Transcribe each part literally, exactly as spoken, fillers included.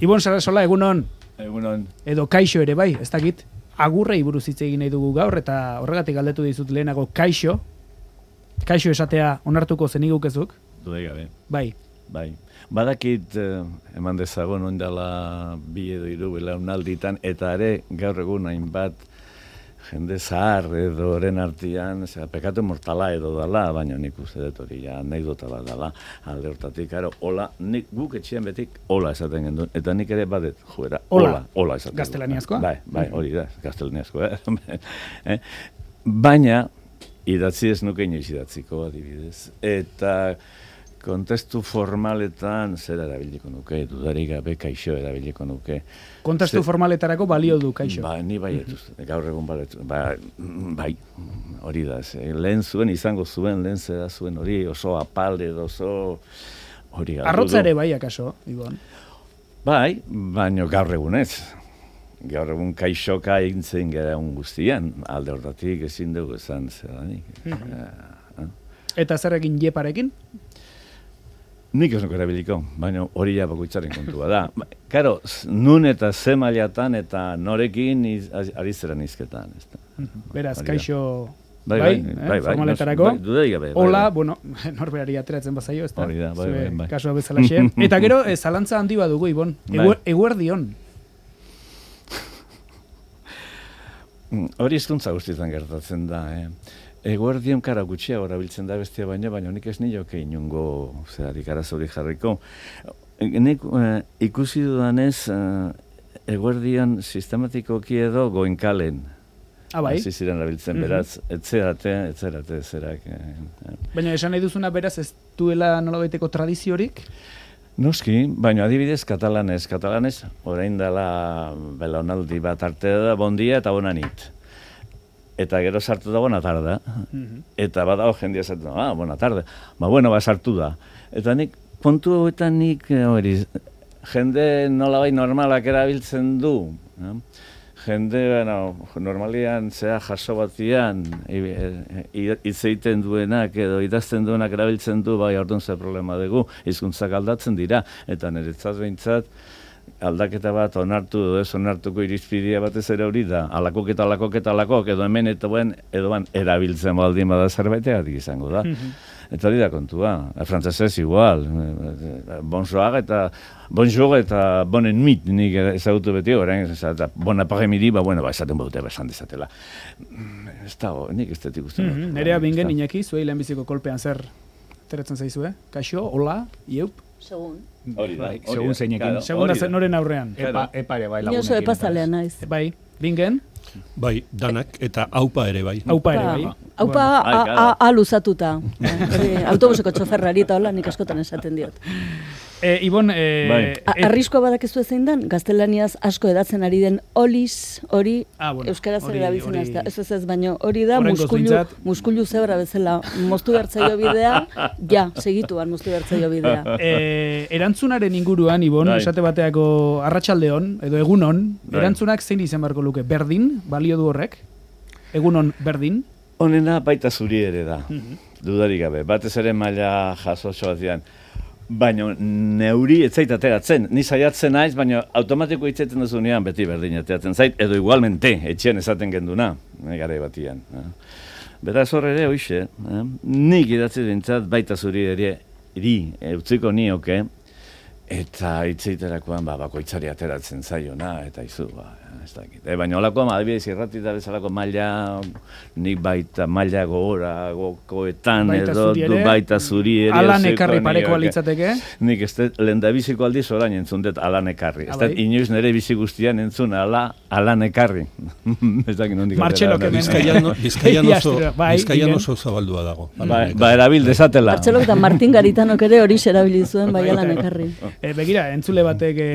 Ibon Sarasola, egunon. Egunon. Edo kaixo ere bai, ez dakit. Agurrei buruz hitz egin nahi dugu gaur, eta horregatik galdetu dizut lehenago kaixo. Kaixo esatea onartuko zenigukezuk. Dudai gabe. Bai. Bai. Badakit eh, eman dezagon ondala bi edo hiru belaunalditan, eta ere gaur egun hainbat jende zahar edo oren artian, zera, pekatu mortala edo dala, baina nik uste dut hori ja anekdota bat dala, alde hortatik, aro, hola, nik guk etxean betik hola esaten gendun, eta nik ere badet, joera, hola, hola esaten. Gaztelaniazkoa? Bai, bai, hori da, gaztelaniazkoa. eh? Baina, idatzi ez nuke inoiz idatziko, adibidez, eta kontestu formaletan zer erabiliko nuke, dudarik gabe kaixo erabiliko nuke. Kontestu formaletarako balio du kaixo. Ba, ni bai etuz, gaur egun balet, ba, bai, hori da, ze, lehen zuen, izango zuen, lehen zera zuen hori, oso apal edo oso hori galdu du. Arrotza ere bai, akaso, Ibon? Bai, baino gaur egun ez. Gaur egun kaixoka egintzen gara un guztian, alde hortatik ezin dugu esan zeranik. Eta zer egin jeparekin? Nik ez nuke erabiliko, baina hori ja bakoitzaren kontua da. Karo, nun eta ze mailatan eta norekin iz, ari zera nizketan. Beraz, kaixo bai, bai, bai, eh, bai, formaletarako. Bai, dudai gabe. Bai, hola, bai. bueno, norberari ateratzen bazaio, ez da? Hori da, bai, bai, bai. Kasua bezalaxe. Eta gero, eh, zalantza handi badugu, Ibon. Eguer, eguerdion. Hori hizkuntza guztietan gertatzen da, eh? Eguerdion kara gutxia orabiltzen da bestia baina, baina nik ez nioke inungo zerarik arazori jarriko. Nik eh, ikusi dudanez, eh, eguerdion sistematikoki edo goenkalen. Ah, bai? Hasi ziren erabiltzen, beraz, etzerate, etzerate, zerak. Eh, baina esan nahi duzuna beraz ez duela nolabaiteko tradiziorik? Noski, baina adibidez katalanez, katalanez, orain dela belaunaldi bat arte da, bon dia eta bona nit. Eta gero sartu da bona tarda. Mm-hmm. Eta badago jendia sartu da, ah, bona tarda. Ba, bueno, ba, sartu da. Eta nik, kontu hauetan nik, hori, jende nolabai normalak erabiltzen du. Eh? Jende, bueno, normalian, zera jaso batian, hitz egiten duenak edo idazten duenak erabiltzen du, bai, orduan ze problema dugu, hizkuntzak aldatzen dira. Eta niretzat behintzat, aldaketa bat onartu edo ez onartuko irizpidea batez ere hori da. Alakok eta alakok eta alakok edo hemen eta buen edo ban erabiltzen baldin bada zerbaitegatik izango da. Eta hori da kontua. Frantzesez igual. Bonsoir eta bonjour eta bonen mit nik ezagutu beti orain. Eta bon après-midi, ba bueno, ba esaten baute esan dezatela. Ez da, nik ez detik uste. Nerea bingen Iñaki, zuei lehenbiziko kolpean zer ateratzen zaizue? Kaixo, hola, ieup? Segun. Hori da. Segun zeinekin. Segun da noren aurrean. Epa, epare bai lagunekin. Ni oso epazalean naiz. Bai, bingen? Bai, danak eta aupa ere bai. Aupa ere bai. Aupa a luzatuta. Autobuseko txoferrari eta hola nik askotan esaten diot. E, Ibon... E, Arriskoa badakezu ezein dan, gaztelaniaz asko edatzen ari den oliz, hori, ah, bueno, euskaraz ere erabiltzen ez da. Ez ez ez, baino hori da, muskulu, muskulu zebra bezala, moztu bertzaio bidea, ja, segituan moztu bertzaio bidea. E, erantzunaren inguruan, Ibon, Dai. Esate bateako arratsaldeon edo egunon, Dai. Erantzunak zein izan beharko luke? Berdin, balio du horrek? Egunon, berdin? Honena baita zuri ere da, mm-hmm. Dudarik gabe, batez ere maila jaso batian. Baina neuri ez zait ateratzen, ni saiatzen naiz, baina automatiko hitzeten duzunean beti berdin ateratzen zait, edo igualmente, etxean esaten genduna, garai batian. Eh? Beraz horre ere, hoxe, eh? Nik idatzi dintzat baita zuri ere, iri, utziko nioke, eta hitzeiterakoan ba, bakoitzari ateratzen zaiona, eta izu, ba, ez dakit. E, baina holakoa, adibidez, irratita bezalako maila, nik baita maila gogora, gokoetan, edo, du baita zuri ere. Alan ekarri pareko alitzateke? Nik ez dut, lendabiziko aldiz orain entzun dut alan ekarri. Ez dut, inoiz nire bizi guztian entzun ala, alan ekarri. Ez dakit nondik. Martxelok hemen. Bizkaian oso zabaldua dago. Ba, erabil desatela. Martxelok eta Martin Garitanok ere hori erabilizuen bai alan ekarri. E, begira, entzule batek e,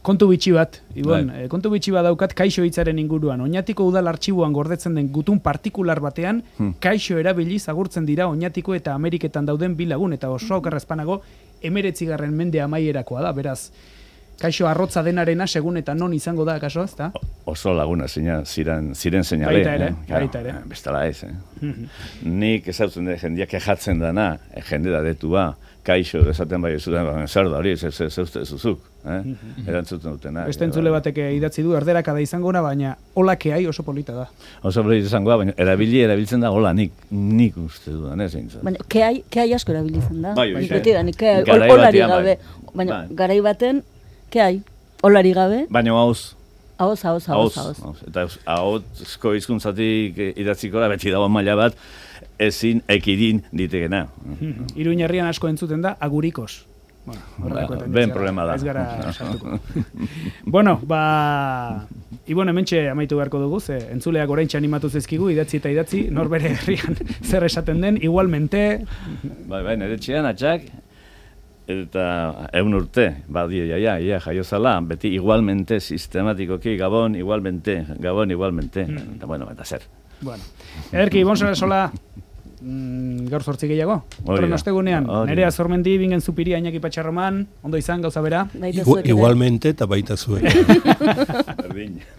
kontu bitxi bat, Ibon, e, kontu bitxi bat daukat kaixo hitzaren inguruan. Oñatiko udal artxiboan gordetzen den gutun partikular batean, hmm. kaixo erabiliz agurtzen dira Oñatiko eta Ameriketan dauden bi lagun, eta oso okerrezpanago emeretzigarren mende amaierakoa da, beraz. kaixo arrotza denarena, segun eta non izango da, kaso, ez da? Oso laguna ziren, ziren, ziren seinale. Baita ere, eh? baita ere. Bestala ez, eh? Nik ezautzen da, jendeak kejatzen dana, jende da detua, kaixo, esaten bai zuten, zer da hori, ez uste zuzuk, eh? Erantzuten dutena. Beste entzule batek idatzi du, erderakada izango na, baina hola keai oso polita da. Oso polita izango da, baina erabili erabiltzen da hola nik, nik uste dudan, ez eintzat. Baina keai, keai asko erabiltzen da. Bai, beti da, nik keai, holari gabe. Baina garai baten, keai, holari gabe. Baina hauz. Hauz, hauz, hauz, hauz. Eta hauzko hizkuntzatik idatziko da, beti dago maila bat, ezin ekidin ditegena. Iruin herrian asko entzuten da, agurikos. Bueno, ben problema da. Ez gara sartuko. Bueno, ba... Ibon, hementxe amaitu beharko dugu, ze entzuleak oraintxe animatu zezkigu, idatzi eta idatzi, norbere herrian zer esaten den, igualmente... Bai, bai, nire txian, atxak, eta egun urte, badio, jaia, ia, jaiozala, beti igualmente, sistematikoki, gabon, igualmente, gabon, igualmente, eta bueno, eta zer. Bueno, ederki, Ibon Sarasola, Mm, gaur zortzi gehiago. Horren ostegunean, Nerea Zormendi, Bingen Zupiria, Iñaki Patxarroman, ondo izan, gauza bera. Igualmente eta baita zuen.